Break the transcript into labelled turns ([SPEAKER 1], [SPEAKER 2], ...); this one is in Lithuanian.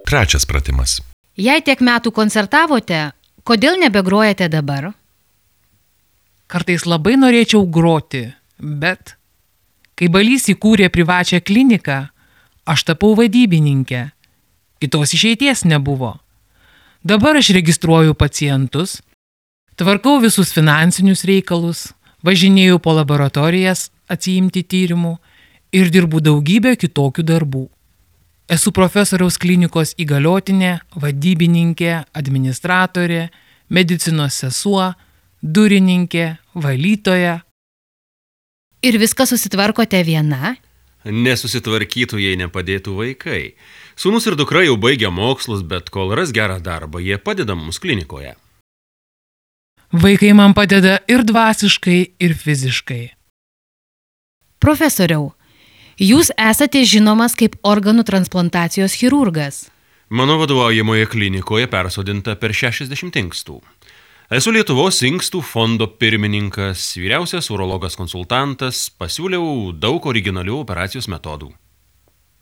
[SPEAKER 1] trečias pratimas.
[SPEAKER 2] Jei tiek metų koncertavote, kodėl nebegrojate dabar?
[SPEAKER 3] Kartais labai norėčiau groti, bet kai Balys įkūrė privačią kliniką, aš tapau vadybininkė. Kitos išeities nebuvo. Dabar aš registruoju pacientus, tvarkau visus finansinius reikalus, važinėju po laboratorijas atsiimti tyrimų ir dirbu daugybę kitokių darbų. Esu profesoriaus klinikos įgaliotinė, vadybininkė, administratorė, medicinos sesuo, durininkė, valytoja.
[SPEAKER 2] Ir viską susitvarkote viena?
[SPEAKER 4] Nesusitvarkytų, jei nepadėtų vaikai. Sūnus ir dukra jau baigia mokslus, bet kol ras gerą darbą, jie padeda mums klinikoje.
[SPEAKER 3] Vaikai man padeda ir dvasiškai, ir fiziškai.
[SPEAKER 2] Profesoriau, jūs esate žinomas kaip organų transplantacijos chirurgas.
[SPEAKER 4] Mano vadovaujamoje klinikoje persodinta per 60 inkstų. Esu Lietuvos inkstų fondo pirmininkas, vyriausias urologas konsultantas, pasiūliau daug originalių operacijos metodų.